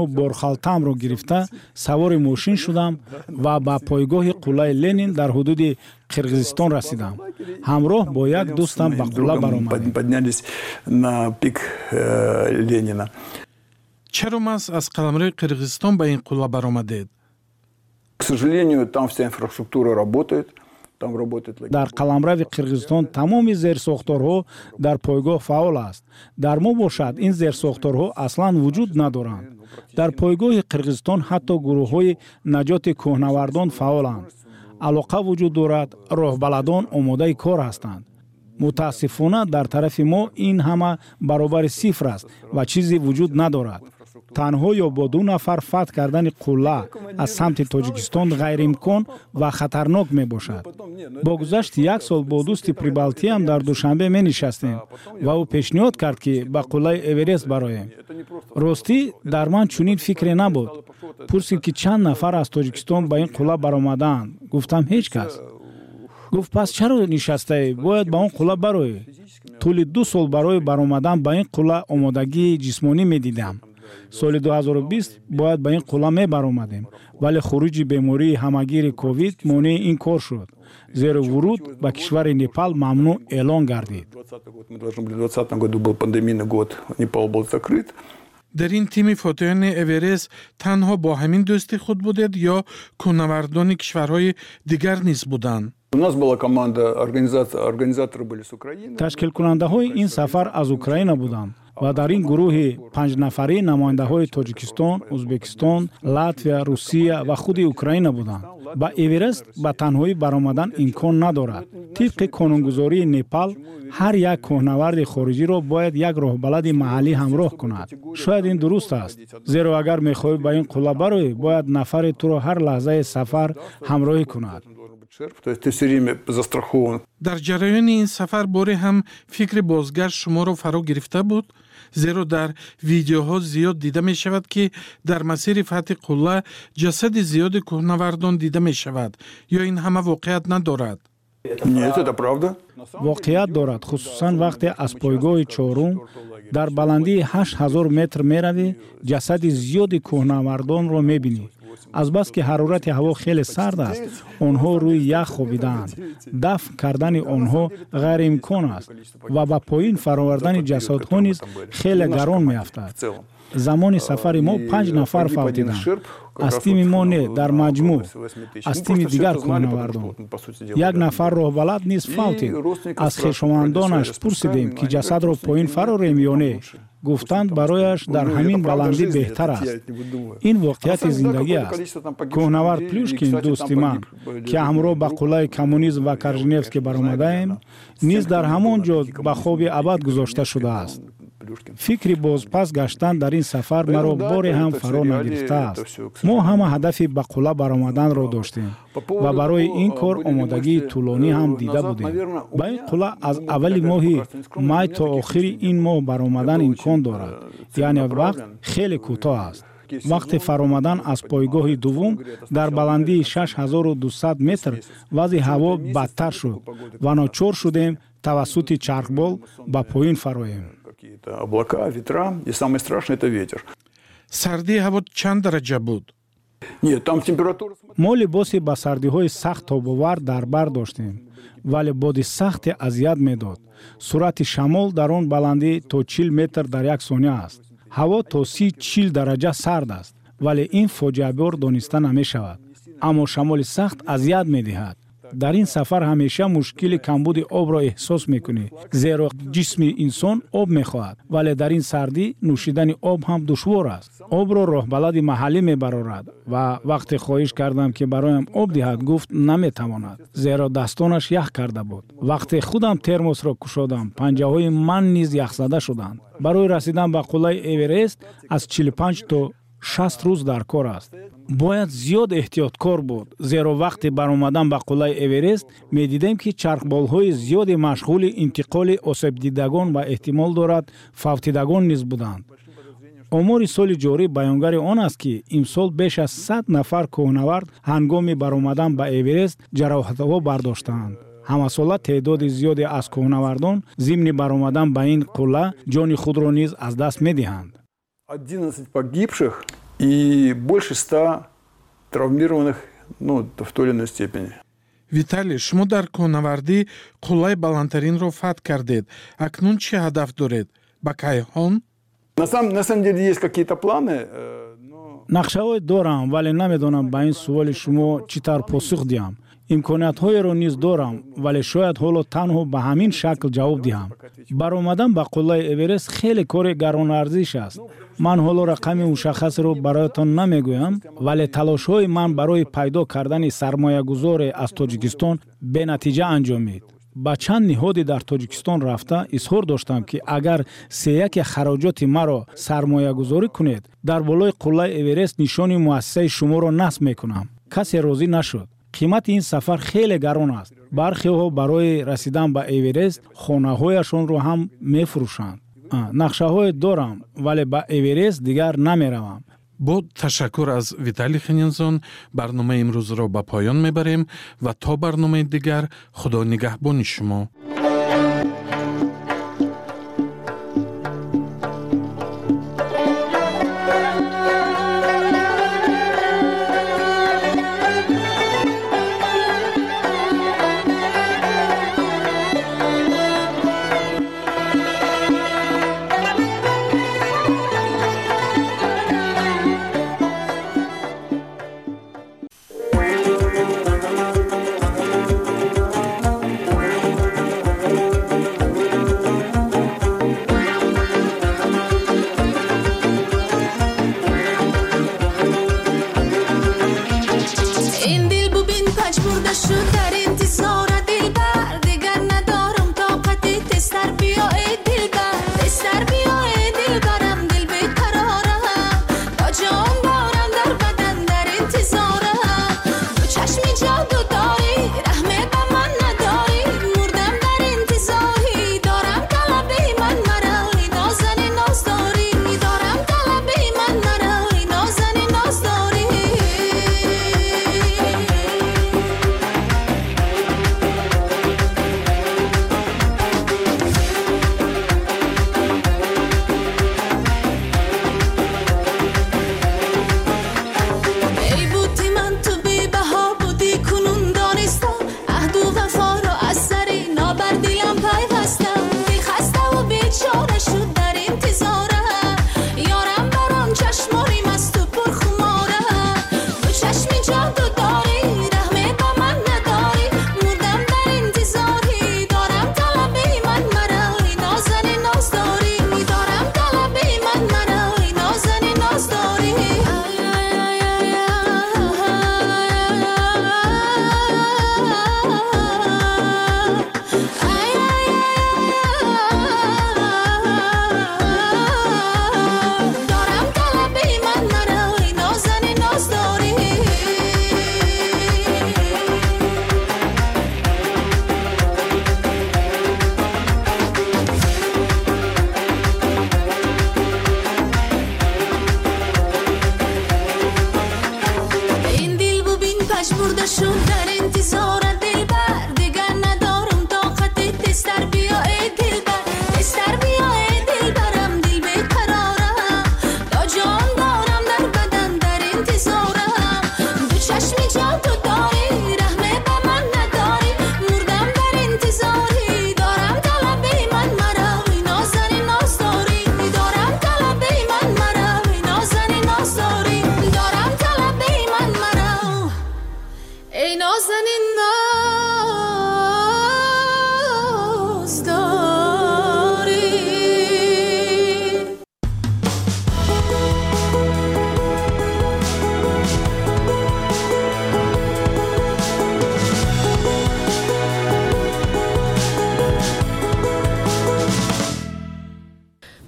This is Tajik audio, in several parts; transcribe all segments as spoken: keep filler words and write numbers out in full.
Борхалтамро гирифта, савори мошин шудам ва ба пойгоҳи қуллаи Ленин дар ҳудуди Қирғизистон расидам. Ҳамроҳ бо як дӯстам ба қулла баромадем. Поднялись на пик э, Ленина. Чаро маҳз аз қаламрави Қирғизистон ба ин қулла баромадед? К сожалению, там вся инфраструктура работает. Там работает Дар қаламрави Қирғизистон тамоми зерсохторҳо дар пойгоҳ фаъол аст. Дар мо бошад, ин зерсохторҳо аслан вуҷуд надоранд. Дар пойгоҳи Қирғизистон ҳатто гурӯҳҳои наҷоти кӯҳнавардон фаъоланд, алоқа вуҷуд дорад, роҳбаладон омодаи кор ҳастанд. Мутаассифона, дар тарафи мо ин ҳама баробари сифр аст ва чизе вуҷуд надорад. Танҳо ё бо ду нафар фатҳ кардани қулла аз самти Тоҷикистон ғайриимкон ва хатарнок мебошад. Бо гузашти як сол бо дӯсти прибалтиям дар Душанбе менишастем ва ӯ пешниҳод кард, ки ба қуллаи Эверест бароем. Ростӣ, дар ман чунин фикре набуд. Пурсид, ки чанд нафар аз Тоҷикистон ба ин қулла баромадаанд. Гуфтам: «Ҳеҷ кас». Гуфт: «Пас чаро нишастаӣ? Бояд ба он қулла бароӣ». Тӯли ду сол барои баромадан ба ин қулла омодагии ҷисмонӣ медидам. Соли ду ҳазору бист бояд ба ин қулла мебаромадем, вале хуруҷи бемории ҳамагири ковид монеи ин кор шуд, зеро вуруд ба кишвари Непал мамнӯъ эълон гардид. Мы должны были в двадцатом году, был пандемийный год, Непал был закрыт. Дар ин тими фотеҳони Эверест танҳо бо ҳамин дӯсти худ будед ё кӯҳнавардони кишварҳои дигар низ буданд? У нас была команда, организаторы были с Украины. Ташкилкунандаҳои ин сафар аз Украина буданд ва дар ин гурӯҳи панҷнафарӣ намояндаҳои Тоҷикистон, Ӯзбекистон, Латвия, Русия ва худи Украина буданд. Ба Эверест ба танҳоӣ баромадан имкон надорад. Тибқи қонунгузории Непал, ҳар як кӯҳнаварди хориҷиро бояд як роҳбалади маҳаллӣ ҳамроҳ кунад. Шояд ин дуруст аст, зеро агар мехоҳӣ ба ин қулла бароӣ, бояд нафаре туро ҳар лаҳзаи сафар ҳамроҳӣ кунад. То есть ты все время застрахован. Дар ҷараёни ин сафар боре ҳам фикри бозгашт шуморо фаро гирифта буд? Зеро дар видеоҳо зиёд дида мешавад, ки дар масири фатҳи қулла ҷасади зиёди кӯҳнавардон дида мешавад. Ё ин ҳама воқеият надорад? Нет, это правда. Воқеият дорад, хусусан вақте аз пойгоҳи чорум дар баландии ҳашт ҳазор метр меравӣ, ҷасади зиёди кӯҳнавардонро мебинӣ. Азбаски ҳарорати ҳаво хеле сард аст, онҳо рӯи ях хобидаанд. Дафн кардани онҳо ғайриимкон аст ва ба поин фаровардани ҷасадҳо низ хеле гарон меафтад. Замони сафари мо панҷ нафар фавтиданд. Аз тими мо не, дар маҷмӯъ аз тими дигар кӯҳнавардон. Як нафар роҳбалад низ фавтид. Аз хешовандонаш пурсидем, ки ҷасадро поин фарорем ё не. Гуфтанд, барояш дар ҳамин баландӣ беҳтар аст. Ин воқеияти зиндагӣ аст. Кӯҳнавард Плюшкин, дӯсти ман, ки ҳамроҳ ба қуллаи Коммунизм ва Корженевский баромадаем, низ дар ҳамон ҷо ба хоби абад гузошта шудааст. Фикри бозпас гаштан дар ин сафар маро боре ҳам фаро нагирифтааст. Мо ҳама ҳадафи ба қулла баромаданро доштем ва барои ин кор омодагии тӯлонӣ ҳам дида будем. Ба ин қулла аз аввали моҳи май то охири ин моҳ баромадан имкон дорад, яъне вақт хеле кӯтоҳ аст. Вақти фаромадан аз пойгоҳи дуввум дар баландии шаш ҳазору дусад метр вазъи ҳаво бадтар шуд ва ночор шудем тавассути чархбол ба поин фароем. Какие-то облака, ветра, и самое страшное – это ветер. Сардии ҳаво чанд дараҷа буд? Нет, там температура. Мо либоси ба сардиҳои сахт тобовар дар бар доштем, вале боди сахте азият медод. Суръати шамол дар он баландӣ то чил метр дар як сония аст. Ҳаво то си чил дараҷа сард аст, вале ин фоҷиабор дониста намешавад, аммо шамоли сахт азият медиҳад. Дар ин сафар ҳамеша мушкили камбуди обро эҳсос мекунӣ, зеро ҷисми инсон об мехоҳад, вале дар ин сардӣ нӯшидани об ҳам душвор аст. Обро роҳбалади маҳаллӣ мебарорад ва вақте хоҳиш кардам, ки бароям об диҳад, гуфт, наметавонад, зеро дастонаш ях карда буд. Вақте худам термосро кушодам, панҷаҳои ман низ яхзада шуданд. Барои расидан ба қуллаи Эверест аз чилу панҷ то шаст рӯз дар кор аст. Бояд зиёд эҳтиёткор буд, зеро вақти баромадан ба қуллаи Эверест медидем, ки чархболҳои зиёде машғули интиқоли осебдидагон ва эҳтимол дорад, фавтидагон низ буданд. Омори соли ҷорӣ баёнгари он аст, ки имсол беш аз сад нафар кӯҳнавард ҳангоми баромадан ба Эверест ҷароҳатҳо бардоштаанд. Ҳамасола теъдоди зиёде аз кӯҳнавардон зимни баромадан ба ин қулла ҷони худро низ аз даст медиҳанд. одиннадцать погибших. И больше ста травмированных, ну, в той или иной степени. Виталий, шумо дар кӯҳнавардӣ қуллаи баландтаринро фатҳ кардед. Акнун чӣ ҳадаф доред? Ба кайҳон? На самом, на самом деле есть какие-то планы, но... Нақшаҳое дорам, вале намедонам ба ин суоли шумо чӣ тавр посух диҳам. Имкониятҳоеро низ дорам, вале шояд ҳоло танҳо ба ҳамин шакл ҷавоб диҳам. Баромадан ба қуллаи Эверест хеле кори гаронарзиш аст. Ман ҳоло рақами мушаххасеро бароятон намегӯям, вале талошҳои ман барои пайдо кардани сармоягузоре аз Тоҷикистон бенатиҷа анҷомид. Ба чанд ниҳоде дар Тоҷикистон рафта изҳор доштам, ки агар сеяки хароҷоти маро сармоягузорӣ кунед, дар болои қуллаи Эверест нишони муассисаи шуморо насб мекунам. Касе розӣ нашуд. Қимати ин сафар хеле гарон аст. Бархеҳо барои расидан ба Эверест хонаҳояшонро ҳам мефурӯшанд. Нақшаҳое дорам, вале ба Эверест дигар намеравам. Бо ташаккур аз Виталий Хенинзон барномаи имрӯзро ба поён мебарем ва то барномаи дигар Худо нигаҳбони шумо.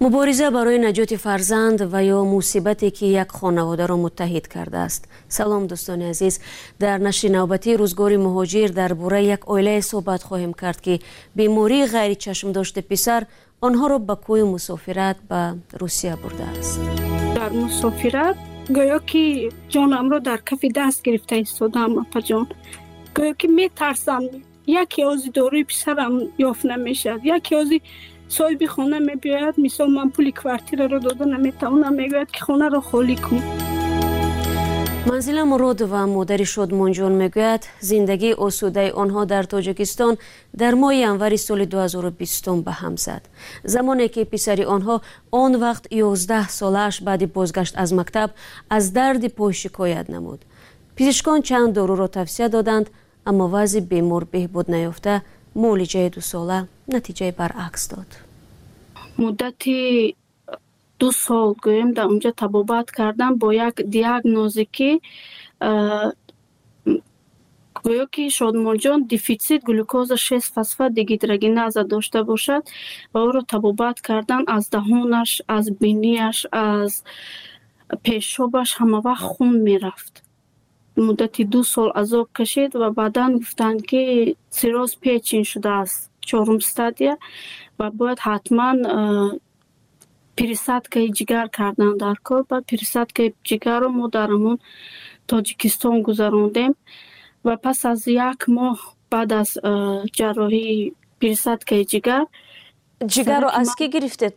Мубориза барои наҷоти фарзанд ва ё мусибате ки як хонаводаро муттаҳид кардааст. Салом дӯстони азиз, дар нашри навбатии рӯзгори муҳоҷир дар бораи як оилае суҳбат хоҳем кард, ки бемории ғайричашмдошти писар онҳоро ба кӯи мусофират ба Русия бурдааст. Дар мусофират гӯё ки ҷонамро дар кафи даст гирифта истодаам, апаҷон. Гӯё ки метарсам, яке ози доруи писарам ёфт намешавад, яке ози соҳиби хона мебиёяд, мисол ман пули квартираро дода наметавонам, мегӯяд ки хонаро холӣ кун. Манзила Муродова, модари Шодмонҷон, мегӯяд, зиндагии осудаи онҳо дар Тоҷикистон дар моҳи январи соли ду ҳазору бистум ба ҳам зад, замоне ки писари онҳо, он вақт ёздаҳ солааш, баъди бозгашт аз мактаб аз дарди пой шикоят намуд. Пизишкон чанд доруро тавсия доданд, аммо вазъи бемор беҳбуд наёфта, муолиҷаи дусола натиҷаи баръакс дод. Муддати ду сол, гӯем, дар онҷо табобат кардам бо як диагнозе, ки гӯё ки Шодмонҷон дефицит глюкоза шест фосфат дегидрогеназа дошта бошад, ва ӯро табобат кардан. Аз даҳонаш, аз бинияш, аз пешобаш ҳамавақт хун мерафт. Муддати ду сол азоб кашид ва баъдан гуфтанд, ки цирроз печень шудааст, чорум стадия, ва бояд ҳатман пересадкаи ҷигар кардан дар кор. Баъд пересадкаи ҷигарро мо дар ҳамон Тоҷикистон гузарондем ва пас аз як моҳ баъд аз ҷарроҳии пересадкаи ҷигар. Ҷигарро аз кӣ гирифтед?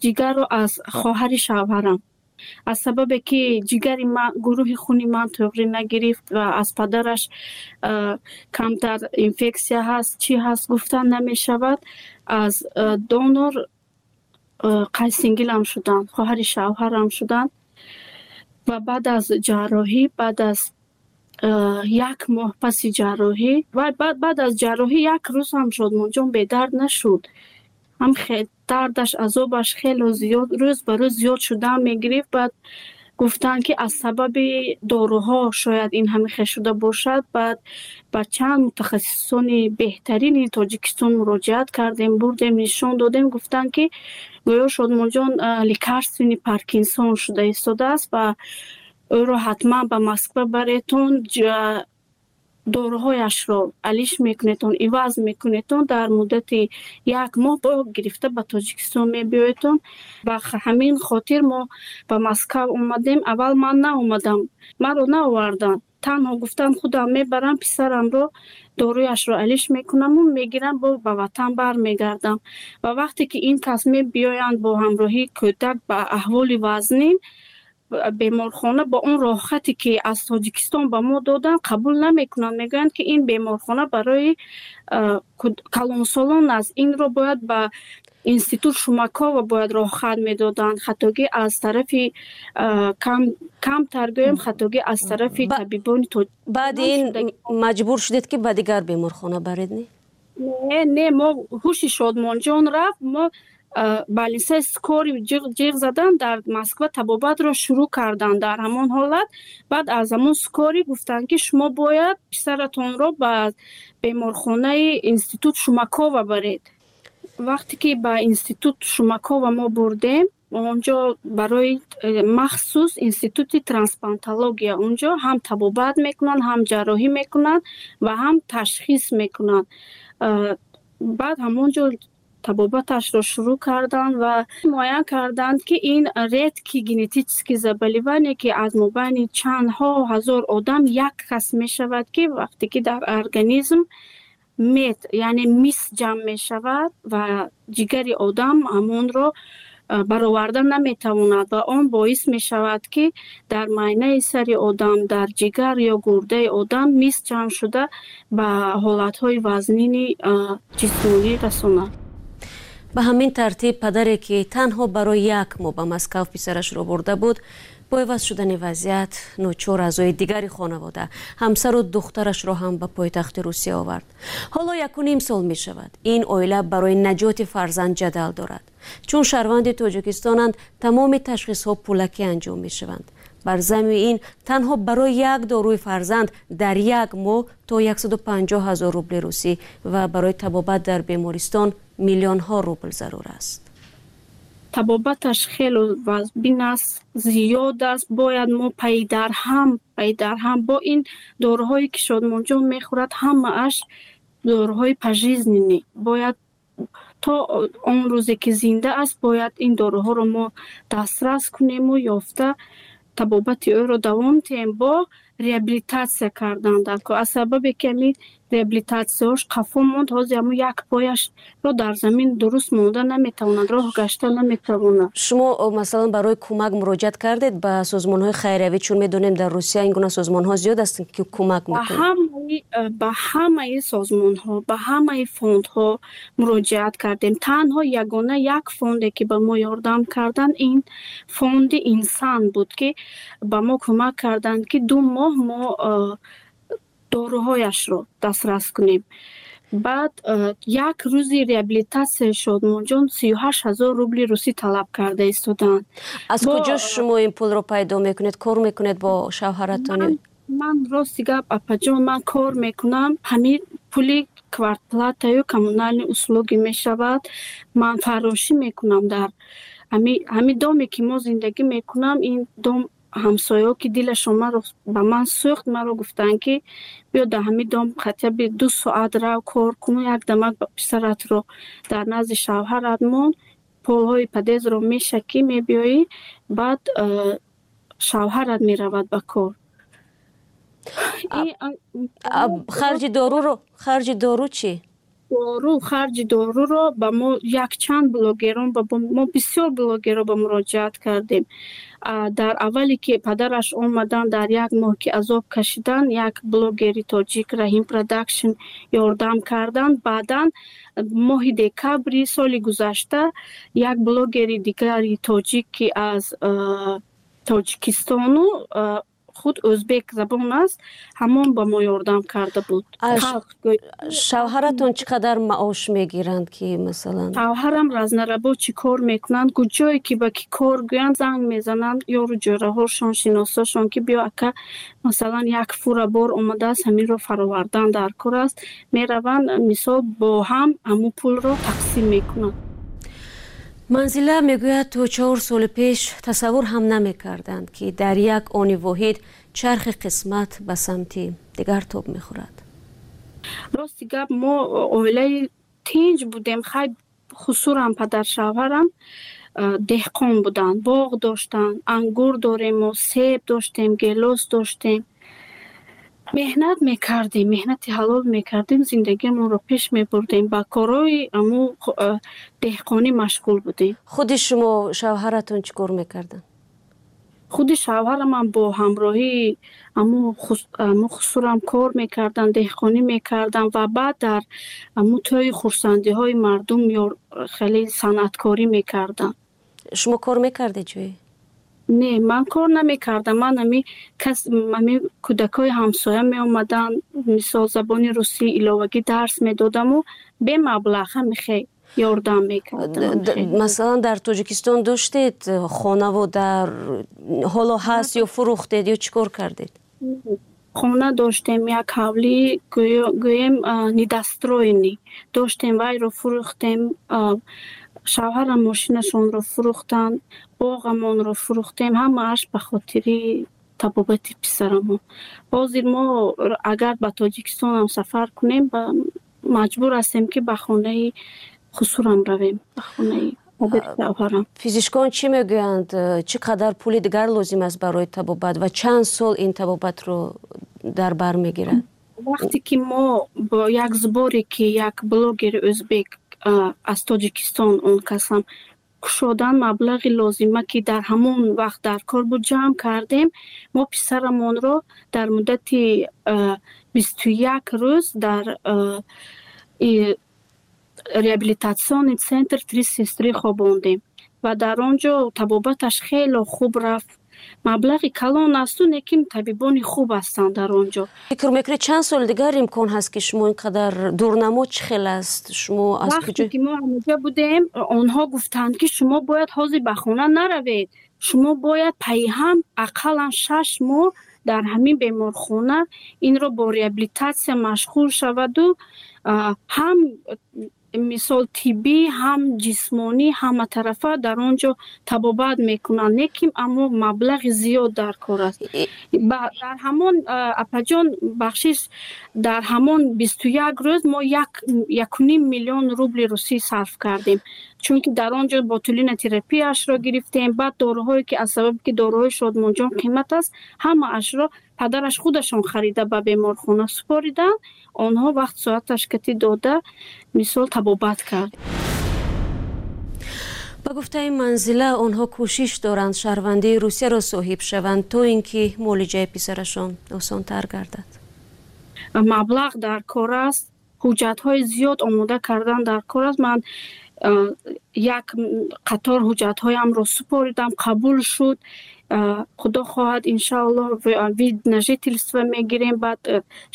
Ҷигарро аз хоҳари шавҳарам. Аз сабабе ки ҷигари ман, гурӯҳи хуни ман туғрӣ нагирифт ва аз падараш камтар инфексия ҳаст, чӣ ҳаст, гуфтан намешавад, аз донор қайсингилам шуданд, хоҳари шавҳарам шуданд. Ва баъд аз ҷарроҳӣ, баъд аз як моҳ паси ҷарроҳӣ, баъд аз ҷарроҳӣ як рӯз ҳам Шодмонҷон бедард нашуд. Ҳам дардаш, азобаш хело зиёд, рӯз ба рӯз зиёд шудан мегирифт. Баъд гуфтанд, ки аз сабаби доруҳо шояд ин ҳамин хел шуда бошад. Баъд ба чанд мутахассисони беҳтарини Тоҷикистон муроҷиат кардем, бурдем, нишон додем. Гуфтанд, ки гӯё Шодмонҷон лекарственный паркинсон шуда истодааст ва ӯро ҳатман ба Москва баретон, доруҳояшро алиш мекунетон, иваз мекунетон, дар муддати як моҳ бо гирифта ба Тоҷикистон мебиёедтон. Ба ҳамин хотир мо ба Москав омадем. Аввал ман наомадам, маро наоварданд, танҳо гуфтанд, худам мебарам писарамро, доруяшро алиш мекунаму мегирам, бо ба ватан бармегардам. Ва вақте ки ин кас мебиёянд бо ҳамроҳии кӯдак ба аҳволи вазнин, беморхона бо он роҳхате ки аз Тоҷикистон ба мо доданд, қабул намекунанд. Мегӯянд, ки ин беморхона барои калонсолон аст, инро бояд ба институт Шумакова бояд роҳхат медоданд. Хатогӣ аз тарафи, камтар гӯем, хатогӣ аз тарафи табибони. Баъди ин маҷбур шудед, ки ба дигар беморхона баред, не? Не, не, мо ҳуши Шодмонҷон рафт, мо больницаи скорый ҷиғ задан, дар Москва табобатро шурӯъ карданд. Дар ҳамон ҳолат баъд аз ҳамон скорый гуфтанд, ки шумо бояд писаратонро ба беморхонаи институт Шумакова баред. Вақте ки ба институт Шумакова мо бурдем, онҷо барои э, махсус институти трансплантология, онҷо ҳам табобат мекунанд, ҳам ҷарроҳӣ мекунанд ва ҳам ташхис мекунанд. Баъд ҳамон ҷо табобаташро шурӯъ карданд ва муайян карданд, ки ин редкий генетический заболевание, ки аз мобайни чандҳо ҳазор одам як кас мешавад, ки вақте ки дар организм медь, яъне мис ҷамъ мешавад ва ҷигари одам ҳамонро бароварда наметавонад ва он боис мешавад, ки дар майнаи сари одам, дар ҷигар ё гурдаи одам мис ҷамъ шуда, ба ҳолатҳои вазнини ҷисмонӣ расонад. Ба ҳамин тартиб, падаре ки танҳо барои як моҳ ба Москав писарашро бурда буд, бо иваз шудани вазъият ночор аъзои дигари хонавода, ҳамсару духтарашро ҳам ба пойтахти Русия овард. Ҳоло якуним сол мешавад, ин оила барои наҷоти фарзанд ҷадал дорад. Чун шаҳрванди Тоҷикистонанд, тамоми ташхисҳо пулакӣ анҷом мешаванд. Бар замми ин, танҳо барои як доруи фарзанд дар як моҳ то яксаду панҷоҳ ҳазор рубли русӣ ва барои табобат дар бемористон миллионҳо рубл зарур аст. Табобаташ хеле вазбин аст, зиёд аст. Бояд мо пайдарҳам, пайдарҳам бо ин доруҳое ки Шодмонҷон мехӯрад, ҳамааш доруҳои пожизненный, бояд то он рӯзе ки зинда аст, бояд ин доруҳоро мо дастрас кунему ёфта. Табобати ӯро давом диҳем, бо реабилитатсия кардан дар кор. Аз сабабе ки ҳамин реабилитатсияҳош қафо монд, ҳозир ҳамун як пояшро дар замин дуруст монда наметавонад, роҳ гашта наметавонад. Шумо, масалан, барои кӯмак муроҷиат кардед ба созмонҳои хайриявӣ? Чун медонем, дар Русия ин гуна созмонҳо зиёд ҳастанд, ки кӯмак мекунанд. Ба ҳамаи созмонҳо, ба ҳамаи фондҳо муроҷиат кардем. Танҳо ягона як фонде, ки ба мо ёрдам карданд, ин фонди «Инсан» буд, ки ба мо кӯмак карданд, ки ду моҳ мо доруҳояшро дастрас кунем. Баъд як рӯзи реабилитатсияи Шодмонҷон сию ҳашт ҳазор рубли русӣ талаб карда истоданд. Аз куҷо шумо ин пулро пайдо мекунед? Кор мекунед бо шавҳаратон? Ман, рости гап, апаҷон, ман кор мекунам. Ҳамин пули квартплатаю коммунальные услуги мешавад. Ман фаррошӣ мекунам дар ҳамин доме, ки мо зиндагӣ мекунам. Ин дом ҳамсояҳо, ки дилашон маро ба ман сӯхт, маро гуфтанд, ки биё, дар ҳамин дом хотя бы ду соат рав, кор кун, як дамак писаратро дар назди шавҳарат мон, полҳои подъездро мешакӣ, мебиёӣ, баъд э, шавҳарат меравад ба кор. Харҷи доруро, харҷи дору чӣ? Дору, харҷи доруро ба мо якчанд блогерон, мо бисёр блогерро ба муроҷиат кардем. Дар аввале ки падараш омаданд, дар як моҳ ки азоб кашиданд, як блогери тоҷик, Раҳим Продакшн, ёрдам карданд. Баъдан моҳи декабри соли гузашта як блогери дигари тоҷик, ки аз Тоҷикистону худ ӯзбек забон аст, ҳамон ба мо ёрдам карда буд. Шавҳаратон чӣ қадар маош мегиранд, ки масалан? Шавҳарам разнорабочий кор мекунанд. Куҷое ки ба ки кор гӯянд, занг мезананд ёру ҷӯраҳошон, шиносошон, ки биё, ака, масалан, як фура бор омадааст, ҳаминро фаровардан дар кор аст. Мераванд, мисол, бо ҳам ҳамун пулро тақсим мекунанд. Манзила мегӯяд, то чор соли пеш тасаввур ҳам намекарданд, ки дар як они воҳид чархи қисмат ба самти дигар тоб мехӯрад. Рости гап, мо оилаи тинҷ будем. Хай, хусурам, падаршавҳарам деҳқон буданд, боғ доштанд, ангур дорем, мо себ доштем, гелос доштем. Меҳнат мекардем, меҳнати ҳалол мекардем, зиндагиамонро пеш мебурдем, ба корҳои аму деҳқонӣ машғул будем. Худи шумо, шавҳаратон чӣ кор мекарданд? Худи шавҳарамам бо ҳамроҳии аму хусурам кор мекарданд, деҳқонӣ мекарданд ва баъд дар аму тӯи хурсандиҳои мардум хеле санъаткорӣ мекарданд. Шумо кор мекардед ҷое? Не, ман кор намекардам. Ман ами кас, ами кӯдакҳои ҳамсоя меомаданд, мисол, забони русӣ иловагӣ дарс медодаму бемаблағ ҳамихе ёрдам мекардам. Масалан, дар Тоҷикистон доштед хонаву дар ҳоло ҳаст ё фурӯхтед ё чӣ кор кардед? Хона доштем, як ҳавлӣ, гӯем, недостроенный доштем, вайро фурӯхтем. Шавҳарам мошинашонро фурӯхтанд, боғамонро фурӯхтем, ҳамааш ба хотири табобати писарамон. Ҳозир мо агар ба Тоҷикистонам сафар кунем, маҷбур ҳастем, ки ба хонаи хусурам равем, ба хонаи шавҳарам. Физишкон чӣ мегӯянд, чӣ қадар пули дигар лозим аст барои табобат ва чанд сол ин табобатро дар бар мегирад? Вақте ки мо бо як сборе, ки як блогери ӯзбек аз Тоҷикистон, он касам кушодан, маблағи лозима, ки дар ҳамон вақт дар кор буд, ҷамъ кардем. Мо писарамонро дар муддати бисту як рӯз дар реабилитационный центр «Три сестры» хобондем ва дар он ҷо табобаташ хело хуб рафт. Маблағи калон асту, лекин табибони хуб ҳастанд дар он ҷо. Фикр мекунед, чанд соли дигар имкон ҳаст, ки шумо ин қадар дурнамо чӣ хел аст? Шумо аз куҷо? Вақте ки мо ҳамоҷа будем, онҳо гуфтанд, ки шумо бояд ҳозир ба хона наравед, шумо бояд пайҳам ақаллан шаш моҳ дар ҳамин беморхона инро бо реабилитатсия машғул шаваду ҳам Мисол, тиббӣ, ҳам ҷисмонӣ, ҳаматарафа дар он ҷо табобат мекунанд, лекин аммо маблағи зиёд дар кор аст. Дар ҳамон, апаҷон, бахшиш, дар ҳамон бисту як рӯз мо якуним миллион рубли русӣ сарф кардем, чунки дар он ҷо ботулинотерапияшро гирифтем. Баъд доруҳое ки, аз сабабе ки доруҳои Шодмонҷон қимат аст, ҳамаашро падараш худашон харида ба беморхона супориданд. Онҳо вақт соаташ кати дода, мисол, табобат кард. Ба гуфтаи Манзила, онҳо кӯшиш доранд шаҳрвандии Русияро соҳиб шаванд, то ин ки муолиҷаи писарашон осонтар гардад. Маблағ дар кор аст, ҳуҷҷатҳои зиёд омода кардан дар кор аст. Ман як қатор ҳуҷҷатҳоямро супоридам, қабул шуд. Худо хоҳад, иншааллоҳ, вид на жительство мегирем, баъд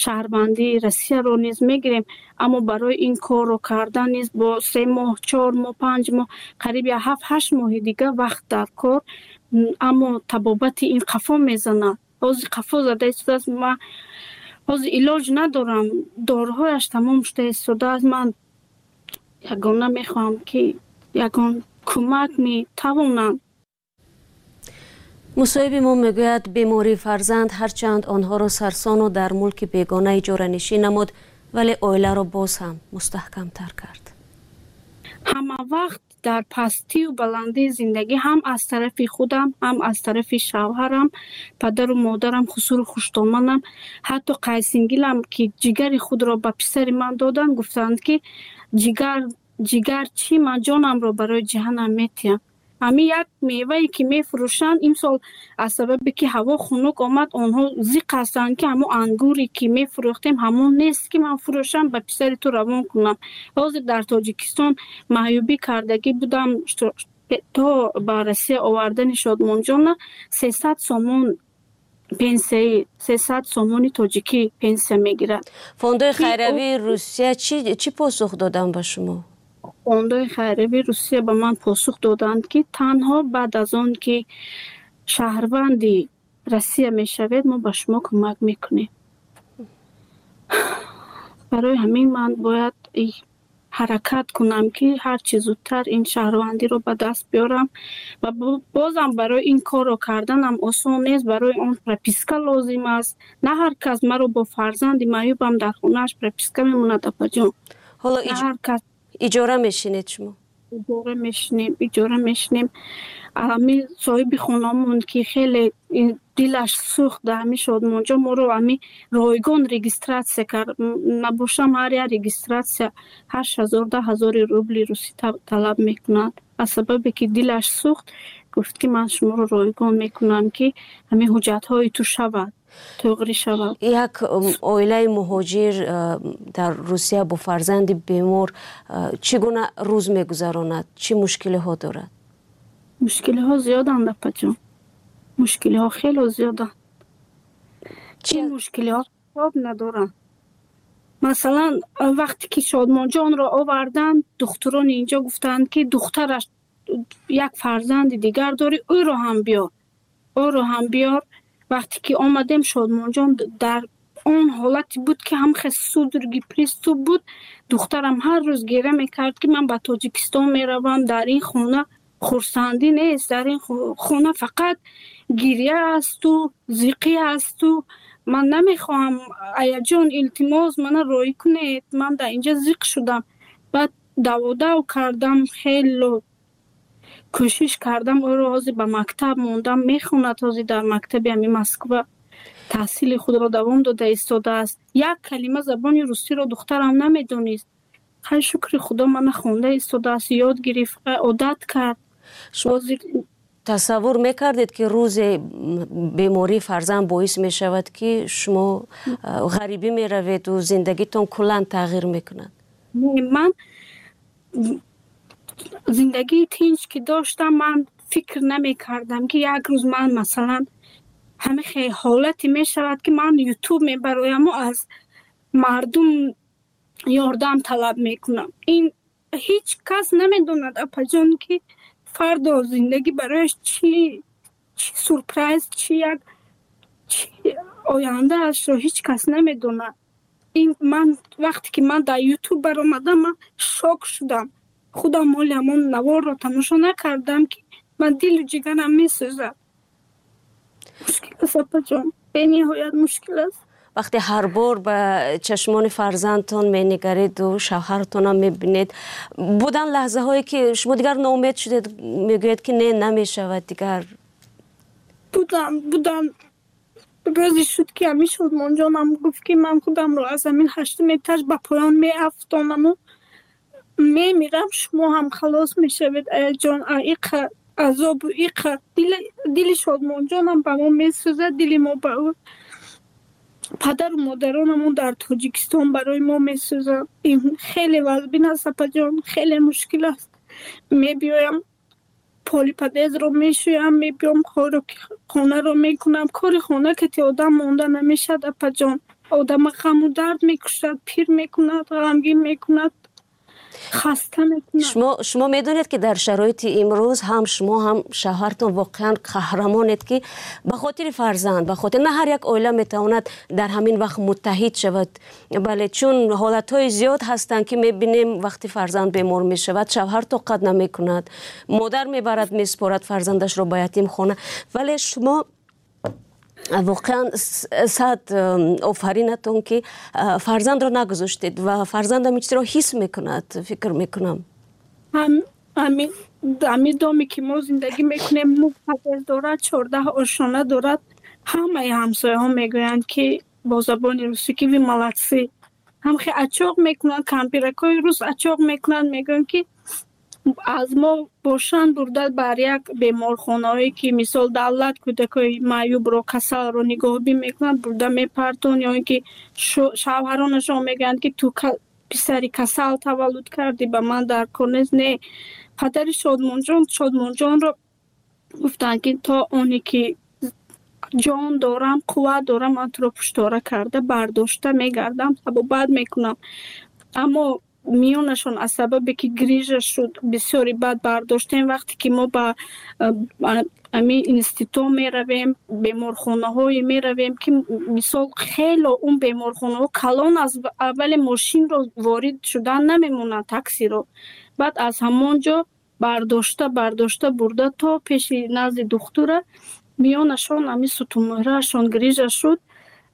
шаҳрвандии Россияро низ мегирем. Аммо барои ин корро кардан низ бо се моҳ, чор моҳ, панҷ моҳ, қариб я ҳафт ҳашт моҳи дига вақт дар кор. Аммо табобати ин қафо мезанад, ҳозир қафо зада истодааст. Ман ҳозир илоҷ надорам, доруҳояш тамом шуда истодааст. Ман ягона мехоҳам, ки ягон кӯмак метавонанд. Мусоҳиби мо мегӯяд, бемории фарзанд ҳарчанд онҳоро сарсону дар мулки бегона иҷоранишин намуд, вале оиларо боз ҳам мустаҳкамтар кард. Ҳама вақт дар пастию баландии зиндагӣ, ҳам аз тарафи худам, ҳам аз тарафи шавҳарам, падару модарам, хусуру хуштоманам, ҳатто қайсингилам, ки ҷигари худро ба писари ман доданд, гуфтанд, ки ҷигар, ҷигар чӣ, ман ҷонамро барои ҷиҳанам метиҳам. Ҳамин як мевае ки мефурӯшанд, имсол аз сабабе ки ҳаво хунук омад, онҳо зиқ ҳастанд, ки ҳамон ангуре ки мефурӯхтем, ҳамон нест, ки ман фурӯшам, ба писари ту равон кунам. Ҳозир дар Тоҷикистон маъюбӣ кардагӣ будам, то ба Россия овардани Шодмонҷона сесад сомон пенсияи, сесад сомони тоҷикӣ пенсия мегирад. Фондои хайравии Русия чӣ посух доданд ба шумо? Фондои хайравии Русия ба ман посух доданд, ки танҳо баъд аз он ки шаҳрванди Россия мешавед, мо ба шумо кӯмак мекунем. Барои ҳамин ман бояд ҳаракат кунам, ки ҳарчи зудтар ин шаҳрвандиро ба даст биёрам. Ва бозам барои ин корро карданам осон нест. Барои он прописка лозим аст. На ҳар кас маро бо фарзанди маъюбам дар хонааш прописка мемонад, апаҷон. Ҳоло ҳар кас. Иҷора мешинед шумо? Иҷора мешинем, иҷора мешинем. Ҳами соҳиби хонамон, ки хеле дилаш сӯхт дар ҳами Шодмонҷо, моро ҳами ройгон регистрация кард. Набошам, ҳар як регистрация ҳашт ҳазор, даҳ ҳазори рубли русӣ талаб мекунад. Аз сабабе ки дилаш сӯхт, гуфт, ки ман шуморо ройгон мекунам, ки ҳамин ҳуҷҷатҳои ту шавад, туғрӣ шавад. Як оилаи муҳоҷир дар Русия бо фарзанди бемор чӣ гуна рӯз мегузаронад? Чӣ мушкилиҳо дорад? Мушкилиҳо зиёданд, апаҷон, мушкилиҳо хело зиёданд. Чӣ мушкилиҳо ҳисоб надоранд. Масалан, вақте ки Шодмонҷонро оварданд, духтурони инҷо гуфтанд, ки духтараш як фарзанди дигар дорӣ, ӯро ҳам биёр, ӯро ҳам биёр. Вақте ки омадем, Шодмонҷон дар он ҳолате буд, ки ҳамхе судороги, приступ буд. Духтарам ҳар рӯз гира мекард, ки ман ба Тоҷикистон меравам, дар ин хона хурсандӣ нест, дар ин хона фақат гиря асту зиқӣ асту ман намехоҳам, аяҷон, илтимос, мана роҳӣ кунед, ман дар инҷа зиқ шудам. Баъд даводав кардам, хело кӯшиш кардам, ӯро ҳозир ба мактаб мондам, мехонад. Ҳозир дар мактаби ҳами Москва таҳсили худро давом дода истодааст. Як калима забони русиро духтарам намедонист. Хай, шукри Худо, мана хонда истодааст, ёд гирифт, одат кард. Тасаввур мекардед, ки рӯзе бемории фарзанд боис мешавад, ки шумо ғарибӣ мераведу зиндагитон куллан тағйир мекунад? Ман зиндагии тинҷ ки доштам, ман фикр намекардам, ки як рӯз ман, масалан, ҳамин ҳолате мешавад, ки ман Ютуб мебарояму аз мардум ёрдам талаб мекунам. Ин ҳеҷ кас намедонад, апаҷон, ки фардо зиндагӣ барояш чӣ чӣ сюрприз, чӣ як чӣ ояндаашро ҳеҷ кас намедонад. Ин ман вақте ки ман дар Ютуб баромадам, ман шок шудам. Худам моли ҳамон наворро тамошо накардам, ки ман дилу ҷигарам месӯзад. Мушкил аст, апаҷон, бениҳоят мушкил аст. Вақте ҳар бор ба чашмони фарзандтон менигариду шавҳартонам мебинед, будан лаҳзаҳое ки шумо дигар ноумед шудед, мегӯед ки не, намешавад дигар? Будам, будам. Рӯзе шуд, ки ҳамин Шодмонҷонам гуфт, ки ман худамро аз ҳамин ҳаштум этаж ба поён меафтонаму мемирам, шумо ҳам халос мешавед, аяҷон, иқа азобу иқа. Дили Шодмонҷонам ба мо месӯзад, дили мо ба ӯ. Падару модаронамон дар Тоҷикистон барои мо месӯзанд. Ин хеле вазбин аст, апаҷон, хеле мушкил аст. Мебиёям, поли подъездро мешӯям, мебиём, хонаро мекунам. Кори хона кати одам монда намешавад, апаҷон. Одама ғаму дард мекушад, пир мекунад, ғамгин мекунад, хаста мекунад. Шумо шумо медонед, ки дар шароити имрӯз ҳам шумо, ҳам шавҳартон воқеан қаҳрамонед, ки ба хотири фарзанд, ба хотир на ҳар як оила метавонад дар ҳамин вақт муттаҳид шавад. Бале, чун ҳолатҳои зиёд ҳастанд, ки мебинем, вақти фарзанд бемор мешавад, шавҳар тоқат намекунад, модар мебарад, месупорад фарзандашро ба ятимхона. Вале шумо воқеан сад офаринатон, ки фарзандро нагузоштед ва фарзандам ин чизро ҳис мекунад, фикр мекунам. Ҳамин доме ки мо зиндагӣ мекунем, нӯҳ подъезд дорад, чордаҳ ошёна дорад. Ҳамаи ҳамсояҳо мегӯянд, ки бо забони русӣ, ки вы молодцы. Ҳамхе ачоқ мекунанд, кампиракҳои рус ачоқ мекунанд, мегӯянд, ки аз мо бошанд бурда бар як беморхонаҳое, ки мисол давлат кӯдакҳои маъюбро, касалро нигоҳубин мекунад, бурда мепартон, ё ин ки шавҳаронашон мегӯянд, ки ту писари касал таваллуд кардӣ, ба ман дар кор нест. Не, падари Шодмонҷон Шодмонҷонро гуфтанд, ки то оне ки ҷон дорам, қувват дорам, ман туро пуштора карда бардошта мегардам, табобат мекунам. Аммо миёнашон аз сабабе ки грижа шуд, бисёри бад бардоштем. Вақте ки мо ба ами институт меравем, беморхонаҳое меравем, ки мисол хело он беморхонаҳо калон аст, аввале мошинро ворид шудан намемонанд, таксиро. Баъд аз ҳамон ҷо бардошта бардошта бурда то пеши назди духтура. Миёнашон ами сутунмӯҳраашон грижа шуд.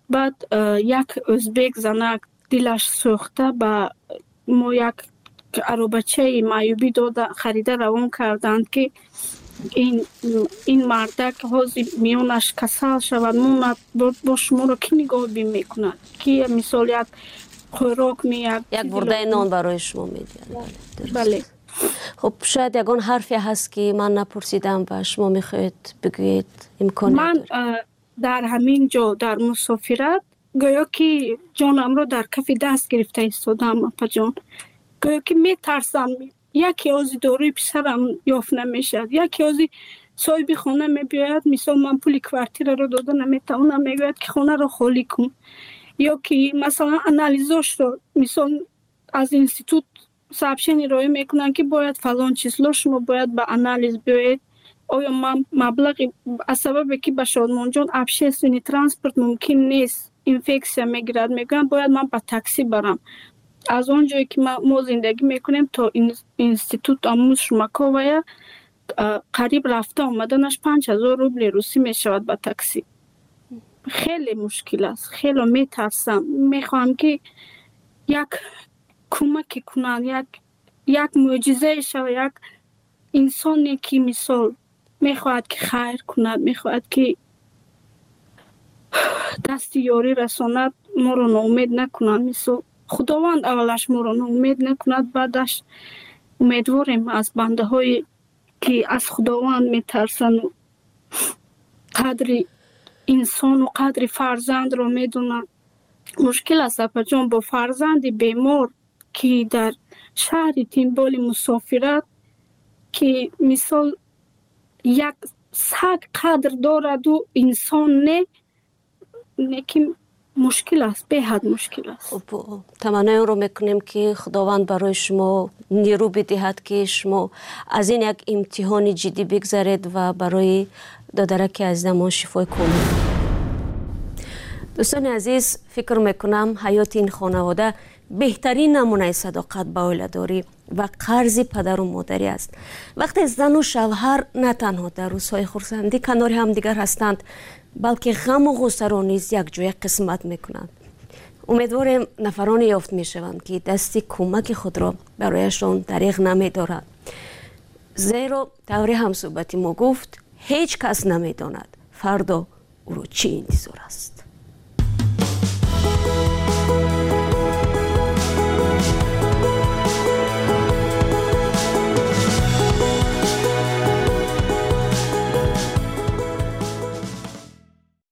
Баъд як ӯзбек занак дилаш сӯхта, ба мо як аробачаи маъюбӣ дода, харида равон карданд, ки ин ин мардак ҳозир миёнаш касал шавад, монад, бо шуморо кӣ нигоҳубин мекунад, ки мисол як хӯрок меяк як бурдаи нон барои шумо медиҳад. Бале. Хуб, шояд ягон ҳарфе ҳаст, ки ман напурсидам ва шумо мехоҳед бигӯед, имкон. Ман дар ҳамин ҷо, дар мусофират, гӯё ки ҷонамро дар кафи даст гирифта истодаам, апаҷон. Гӯё ки метарсам, яке ози доруи писарам ёфт намешавад, яке ози соҳиби хона мебиёяд, мисол ман пули квартираро дода наметавонам, мегӯяд, ки хонаро холӣ кун, ё ки масалан анализошро мисол аз институт сообщение роӣ мекунанд, ки бояд фалон число шумо бояд ба анализ биёед. Оё ман маблағи, аз сабабе ки ба Шодмонҷон общественный транспорт мумкин нест, инфексия мегирад, мегӯянд, бояд ман ба таксӣ барам. Аз он ҷое ки мо зиндагӣ мекунем то институт амуз Шумаковая қариб рафта омаданаш панҷ ҳазор рубли русӣ мешавад ба таксӣ. Хеле мушкил аст, хело метарсам. Мехоҳам, ки як кӯмаке кунанд, як як мӯъҷизае шавад, як инсоне, ки мисол мехоҳад, ки хайр кунад, мехоҳад, ки дасти ёрӣ расонад, моро ноумед накунанд. Мисол Худованд аввалаш моро ноумед накунад, баъдаш умедворем аз бандаҳое, ки аз Худованд метарсану қадри инсону қадри фарзандро медонанд. Мушкил аст, апаҷон, бо фарзанди бемор, ки дар шаҳри тимболи мусофират, ки мисол як саг қадр дораду инсон не. Лекин мушкил аст, беҳад мушкил аст. Хуб, таманнои онро мекунем, ки Худованд барои шумо нерӯ бидиҳад, ки шумо аз ин як имтиҳони ҷиддӣ бигзаред ва барои додараки азизамон шифои комил. Дӯстони азиз, фикр мекунам, ҳаёти ин хонавода беҳтарин намунаи садоқат ба оиладорӣ ва қарзи падару модарӣ аст. Вақте зану шавҳар на танҳо дар рӯзҳои хурсандӣ канори ҳамдигар ҳастанд, балки ғаму ғуссаро низ якҷоя қисмат мекунанд. Умедворем, нафароне ёфт мешаванд, ки дасти кӯмаки худро барояшон дариғ намедоранд, зеро тавре ҳамсӯҳбати мо гуфт, ҳеҷ кас намедонад, фардо ӯро чӣ интизор аст.